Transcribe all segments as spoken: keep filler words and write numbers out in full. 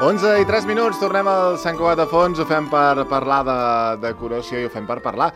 onze i tres minuts, tornem al Sant Cugat de Fons, ho fem per parlar de decoració i ho fem per parlar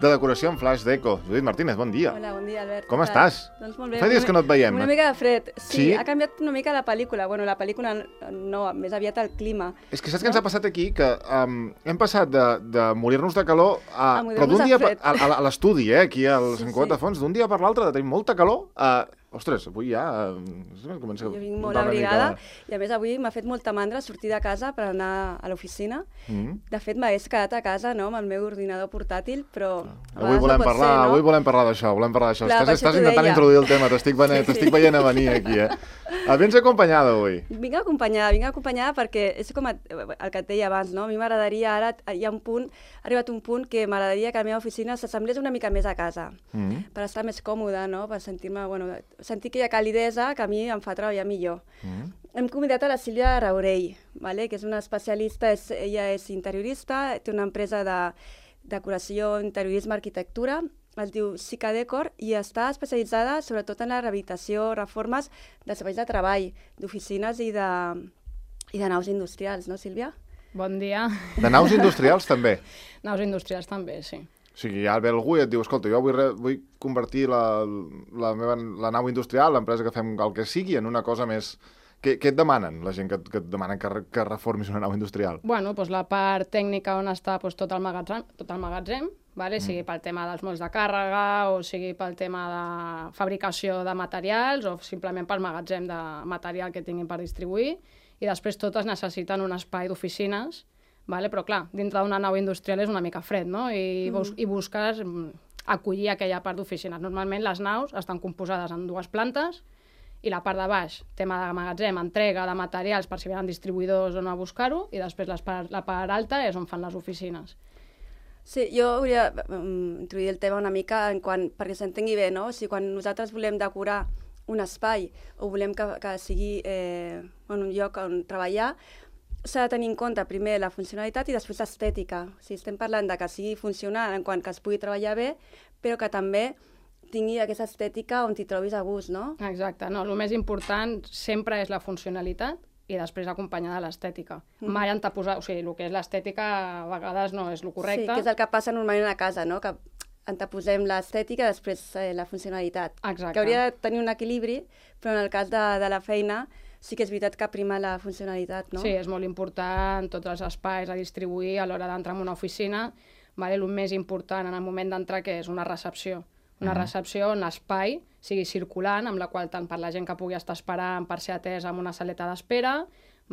de decoració en flash deco. Judit Martínez, bon dia. Hola, bon dia, Albert. Com estàs? Doncs molt bé. Fa dies que no et veiem. Una mica de fred. Sí, sí, ha canviat una mica la pel·lícula. Bueno, la pel·lícula no, més aviat el clima. És que saps no? què ens ha passat aquí? Que um, hem passat de, de morir-nos de calor a... a morir-nos de fred. A, a, a l'estudi, eh, aquí al sí, Sant Cugat sí. de Fons, d'un dia per l'altre, de tenir molta calor a... Ostres, avui ja... Uh, comença jo vinc molt abrigada mica... i a més avui m'ha fet molta mandra sortir de casa per anar a l'oficina. Mm. De fet, m'hagués quedat a casa no, amb el meu ordinador portàtil, però... Ah. Avui volem, no parlar, ser, no? avui volem parlar d'això, volem parlar d'això. Clar, estàs estàs intentant deia. introduir el tema, t'estic sí, sí. veient a venir aquí, eh? Vens acompanyada avui? Vinc acompanyada, vinc acompanyada perquè és com el que et deia abans, no? A mi m'agradaria, ara hi ha un punt, ha arribat un punt que m'agradaria que la meva oficina s'assemblés una mica més a casa, mm. per estar més còmoda, no? Per sentir-me, bueno, sentir que hi ha calidesa que a mi em fa treballar millor. Mm. Hem convidat a la Sílvia Raurell, vale? Que és una especialista, és, ella és interiorista, té una empresa de decoració, interiorisme, arquitectura, es diu Sica Decor i està especialitzada sobretot en la rehabilitació, reformes d'espais de treball, d'oficines i de, i de naus industrials, no, Sílvia? Bon dia. De naus industrials també? Naus industrials també, sí. O sigui, ja ve algú i et diu, escolta, jo vull, re, vull convertir la, la, meva, la nau industrial, l'empresa que fem el que sigui, en una cosa més... Què, què et demanen, la gent que, que et demanen que, que reformis una nau industrial? Bueno, doncs la part tècnica on està doncs, tot el magatzem, tot el magatzem vale? mm. sigui pel tema dels molls de càrrega, o sigui pel tema de fabricació de materials, o simplement pel magatzem de material que tinguin per distribuir, i després totes necessiten un espai d'oficines, vale? Però clar, dintre d'una nau industrial és una mica fred, no? I, mm. bus i busques acollir aquella part d'oficines. Normalment les naus estan composades en dues plantes, i la part de baix, tema de magatzem, entrega de materials per si venen distribuïdors o no a buscar-ho, i després les part, la part alta és on fan les oficines. Sí, jo hauria um, introduir el tema una mica en quan, perquè s'entengui bé, no? O sigui, quan nosaltres volem decorar un espai o volem que, que sigui eh, un lloc on treballar, s'ha de tenir en compte primer la funcionalitat i després l'estètica. O sigui, estem parlant de que sigui funcional en quant que es pugui treballar bé, però que també tingui aquesta estètica on t'hi trobis a gust, no? Exacte, no, el més important sempre és la funcionalitat i després acompanyada de l'estètica. Mm. Mai anteposar, o sigui, el que és l'estètica a vegades no és el correcte. Sí, que és el que passa normalment a casa, no? Que anteposem l'estètica i després eh, la funcionalitat. Exacte. Que hauria de tenir un equilibri, però en el cas de, de la feina sí que és veritat que prima la funcionalitat, no? Sí, és molt important, tots els espais a distribuir a l'hora d'entrar en una oficina, vale? El més important en el moment d'entrar que és una recepció. Una recepció on l'espai sigui circulant, amb la qual tant per la gent que pugui estar esperant per ser atesa en una saleta d'espera,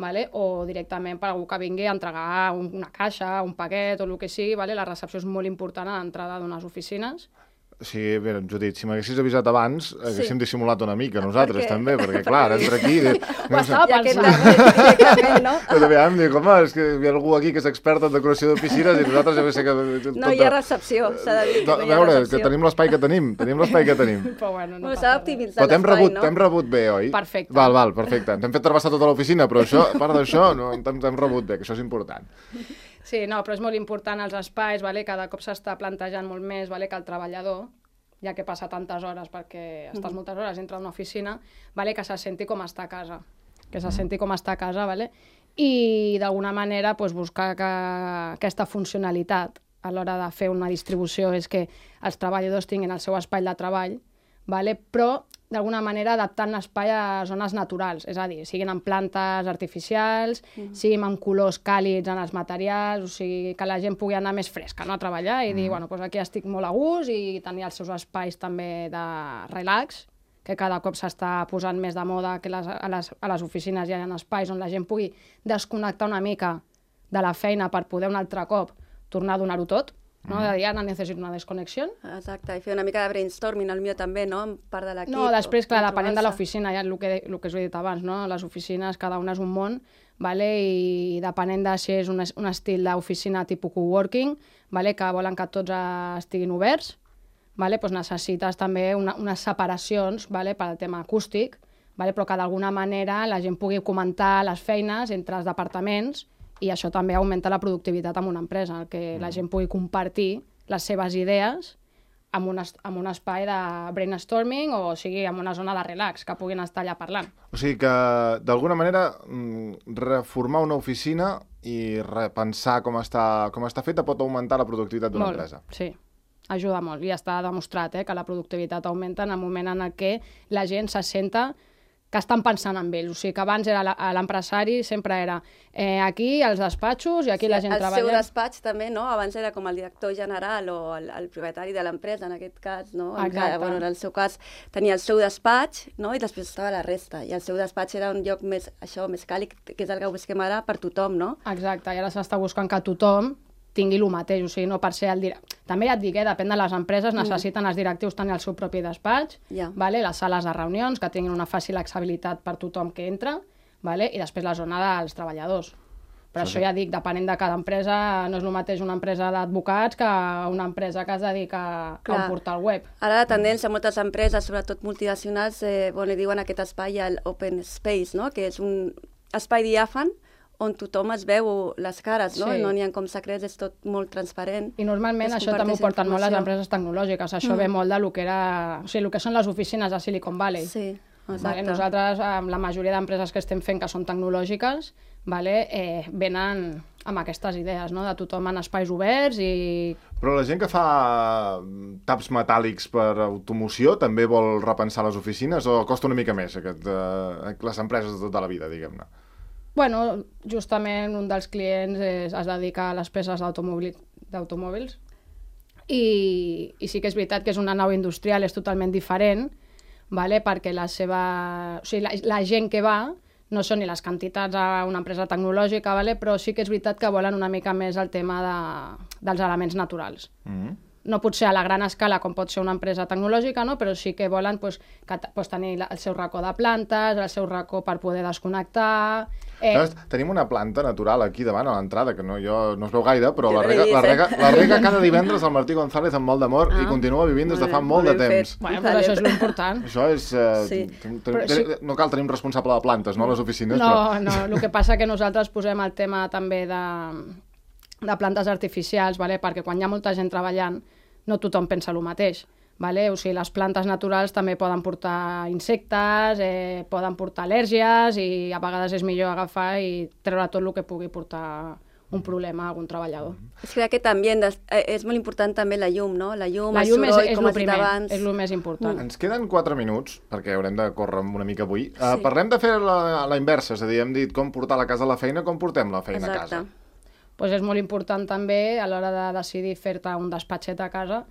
vale? O directament per algú que vingui a entregar una caixa, un paquet o el que sigui, vale? La recepció és molt important a l'entrada d'unes oficines. Sí, bé, Judit, si m'haguessis avisat abans, haguéssim sí. dissimulat una mica, nosaltres perquè... també, perquè clar, ara entra aquí... De... Ho estava pensant. Directament, no? Però també em dic, home, és que hi ha algú aquí que és expert en decoració d'oficines i nosaltres ja sé que... No tota... hi ha recepció, s'ha de dir. No, a veure, que tenim l'espai que tenim, tenim l'espai que tenim. Però bueno, no bueno, s'ha d'optimitzar l'espai, rebut, no? T'hem rebut bé, oi? Perfecte. Val, val, perfecte. T'hem fet travessar tota l'oficina, però això, a part d'això, no, t'hem rebut bé, que això és important. Sí, no, però és molt important els espais, vale? Cada cop s'està plantejant molt més, vale? Que el treballador, ja que passa tantes hores, perquè estàs moltes hores dintre d'una oficina, vale? Que se senti com està a casa, que se senti com està a casa, vale? I d'alguna manera pues, buscar que aquesta funcionalitat a l'hora de fer una distribució és que els treballadors tinguin el seu espai de treball, vale? Però d'alguna manera adaptant l'espai a zones naturals, és a dir, siguin en plantes artificials, mm. siguin amb colors càlids en els materials, o sigui, que la gent pugui anar més fresca, no?, a treballar i mm. dir, bueno, doncs aquí estic molt a gust i tenir els seus espais també de relax, que cada cop s'està posant més de moda que les, a, les, a les oficines hi ha espais on la gent pugui desconnectar una mica de la feina per poder un altre cop tornar a donar-ho tot. No? De dir, ara necessito una desconnexió. Exacte, i fer una mica de brainstorming, el millor també, no?, en part de l'equip. No, després, clar, depenent de l'oficina, ja el que, el que us he dit abans, no? Les oficines, cada una és un món, vale? I depenent de si és un, un estil d'oficina tipus coworking, vale? Que volen que tots estiguin oberts, vale? Pues necessites també una, unes separacions, vale? Per al tema acústic, vale? Però que d'alguna manera la gent pugui comentar les feines entre els departaments, i això també augmenta la productivitat en una empresa, que la gent pugui compartir les seves idees amb un, amb un espai de brainstorming o, o sigui, amb una zona de relax, que puguin estar allà parlant. O sigui que, d'alguna manera, reformar una oficina i repensar com està, com està feta pot augmentar la productivitat d'una empresa. Sí, ajuda molt. I està demostrat eh, que la productivitat augmenta en el moment en el què la gent se senta que estan pensant en ells. O sigui, que abans era l'empresari, sempre era eh, aquí, els despatxos, i aquí sí, la gent treballa. El seu despatx també, no? Abans era com el director general o el, el propietari de l'empresa, en aquest cas, no? Exacte. Bueno, en el seu cas tenia el seu despatx, no? I després estava la resta. I el seu despatx era un lloc més, això, més càlid, que és el que busquem ara per tothom, no? Exacte, i ara s'està buscant que tothom tingui el mateix, o sigui, no per ser el director. També ja et dic, eh, depèn de les empreses, necessiten els directius tenir el seu propi despatx, yeah. vale? Les sales de reunions, que tinguin una fàcil accessibilitat per tothom que entra, vale? I després la zona dels treballadors. Per sí, això ja dic, depenent de cada empresa, no és el mateix una empresa d'advocats que una empresa que es dedica Clar. a un portal web. Ara la tendència a moltes empreses, sobretot multinacionals, eh, bon, li diuen aquest espai el open space, no? Que és un espai diàfan on tothom es veu les cares, no? Sí. No n'hi ha com secrets, és tot molt transparent. I normalment això també ho porten molt les empreses tecnològiques. Això mm. ve molt del que era... O sigui, el que són les oficines de Silicon Valley. Sí, exacte. Vale? Nosaltres, amb la majoria d'empreses que estem fent que són tecnològiques, vale? eh, venen amb aquestes idees, no? De tothom en espais oberts i... Però la gent que fa taps metàl·lics per automoció també vol repensar les oficines o costa una mica més aquest, eh, les empreses de tota la vida, diguem-ne? Bueno, justament un dels clients es, es dedica a les peces d'automòbils i, i sí que és veritat que és una nau industrial, és totalment diferent, vale? Perquè la seva... O sigui, la, la gent que va no són ni les quantitats a una empresa tecnològica, vale? Però sí que és veritat que volen una mica més el tema de, dels elements naturals. Mm-hmm. No pot ser a la gran escala com pot ser una empresa tecnològica, no? Però sí que volen pues, que, pues, tenir el seu racó de plantes, el seu racó per poder desconnectar... Eh... Saps, tenim una planta natural aquí davant a l'entrada, que no, jo, no es veu gaire, però la rega, la, rega, la rega cada divendres el Martí González amb molt d'amor ah. i continua vivint des de fa molt, molt de temps. Bueno, però això és l'important. Això és... Eh, sí. sí. No cal tenir un responsable de plantes, no?, a les oficines. No, però... no, el que passa que nosaltres posem el tema també de, de plantes artificials, vale? Perquè quan hi ha molta gent treballant no tothom pensa el mateix. Vale? O sigui, les plantes naturals també poden portar insectes, eh, poden portar al·lèrgies i a vegades és millor agafar i treure tot el que pugui portar un problema a algun treballador. És que aquest ambient eh, és molt important també la llum, no? La llum, la el llum soroll, és, és com has dit abans. És el més important. Mm. Ens queden quatre minuts, perquè haurem de córrer una mica avui. Sí. Uh, parlem de fer la, la inversa, és a dir, hem dit com portar la casa a la feina, com portem la feina Exacte. a casa. Pues és molt important també, a l'hora de decidir fer-te un despatxet a casa,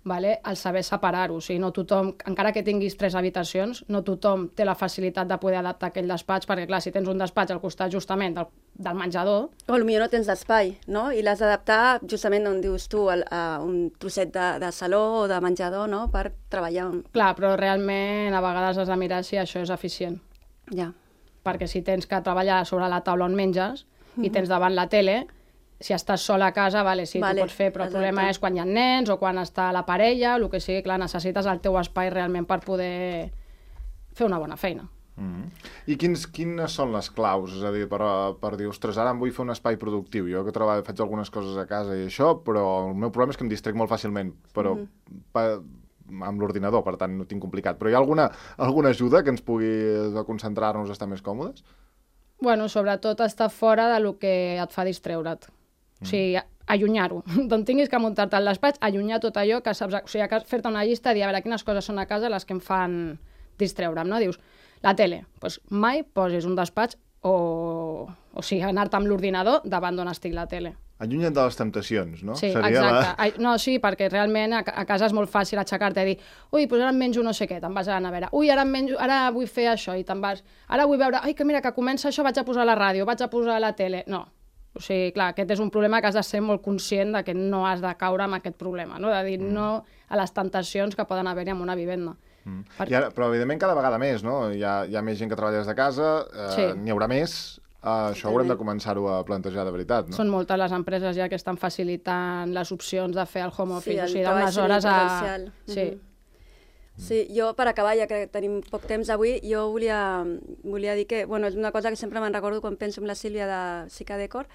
vale? El saber separar-ho. O sigui, no tothom, encara que tinguis tres habitacions, no tothom té la facilitat de poder adaptar aquell despatx, perquè clar, si tens un despatx al costat justament del, del menjador... O potser no tens d'espai, no? I l'has d'adaptar justament on dius tu, a, a un trosset de, de saló o de menjador, no?, per treballar. Clar, però realment a vegades has de mirar si això és eficient. Ja. Perquè si tens que treballar sobre la taula on menges mm-hmm. i tens davant la tele, si estàs sola a casa, vale, sí, vale, tu pots fer, però exacte. El problema és quan hi ha nens o quan està la parella, el que sigui, clar, necessites el teu espai realment per poder fer una bona feina. Mm-hmm. I quins, quines són les claus? És a dir, per, per dir, ostres, ara em vull fer un espai productiu. Jo que treballo, faig algunes coses a casa i això, però el meu problema és que em distrec molt fàcilment, però mm-hmm. pa, amb l'ordinador, per tant, no tinc complicat. Però hi ha alguna, alguna ajuda que ens pugui concentrar-nos a estar més còmodes? Bueno, sobretot estar fora de lo que et fa distreure't. O sigui, allunyar-ho. D'on tinguis que muntar-te al despatx, allunyar tot allò que saps... O sigui, fer-te una llista i dir, a veure, quines coses són a casa les que em fan distreure'm, no? Dius, la tele, doncs mai posis un despatx o, o sigui, anar-te amb l'ordinador davant d'on estic la tele. Allunya't de les temptacions, no? Sí, Seria exacte. La... No, sí, perquè realment a, a casa és molt fàcil aixecar-te i dir ui, doncs ara em menjo no sé què, te'n vas a la nevera. Ui, ara, em menjo, ara vull fer això i te'n vas... Ara vull veure, ai, que mira, que comença això, vaig a posar la ràdio, vaig a posar la tele... No. O sigui, clar, aquest és un problema que has de ser molt conscient de que no has de caure en aquest problema, no? De dir mm. no a les tentacions que poden haver-hi en una vivenda. Mm. Per... I ara, però, evidentment, cada vegada més, no? Hi ha, hi ha més gent que treballa des de casa, eh, sí. N'hi haurà més, eh, això haurem de començar-ho a plantejar de veritat, no? Són moltes les empreses ja que estan facilitant les opcions de fer el home office, sí, el o sigui, d'unes hores a... Sí, mm-hmm. Sí, jo per acabar, ja que tenim poc temps avui, jo volia, volia dir que, bueno, és una cosa que sempre me'n recordo quan penso en la Sílvia de Sica Decor,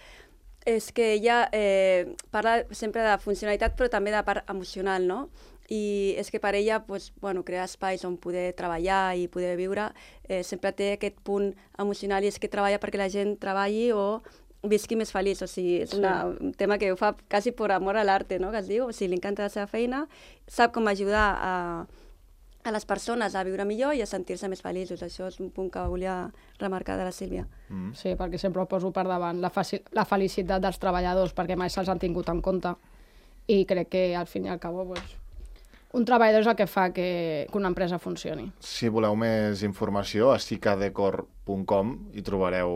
és que ella eh, parla sempre de funcionalitat però també de part emocional, no? i és que per ella pues, bueno, crear espais on poder treballar i poder viure eh, sempre té aquest punt emocional i és que treballa perquè la gent treballi o visqui més feliç, o sigui, és una, un tema que ho fa quasi per amor a l'arte, no?, que es diu, o sigui, li encanta la seva feina, sap com ajudar a, a les persones a viure millor i a sentir-se més feliços. Això és un punt que volia remarcar de la Sílvia. Mm. Sí, perquè sempre ho poso per davant, la, la felicitat dels treballadors, perquè mai se'ls han tingut en compte, i crec que al fin i al cabo, pues, un treballador és el que fa que, que una empresa funcioni. Si voleu més informació, a sicadecor punt com hi trobareu,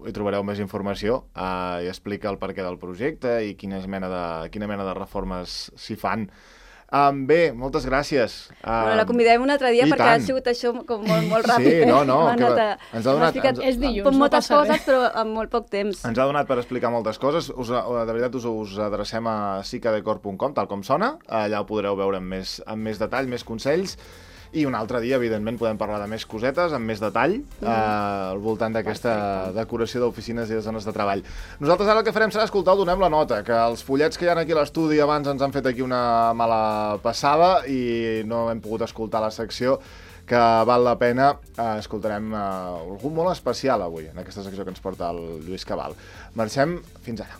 hi trobareu més informació uh, i explica el perquè del projecte i quina mena de, quina mena de reformes s'hi fan. Um, bé, moltes gràcies. Um, bueno, la convidem un altre dia perquè tant. Ha sigut això com molt, molt ràpid. Sí, no, no. Que va, ens ha donat... Ens, és dilluns, no moltes passa coses, res. però en molt poc temps. Ens ha donat per explicar moltes coses. Us, de veritat, us, us adrecem a sicadecor punt com, tal com sona. Allà ho podreu veure amb més, amb més detall, més consells. I un altre dia, evidentment, podem parlar de més cosetes, amb més detall, mm. eh, al voltant d'aquesta decoració d'oficines i de zones de treball. Nosaltres ara el que farem serà escoltar el Donem la Nota, que els follets que hi ha aquí a l'estudi abans ens han fet aquí una mala passada i no hem pogut escoltar la secció, que val la pena. Eh, escoltarem eh, algú molt especial avui, en aquesta secció que ens porta el Lluís Cabal. Marxem, fins ara.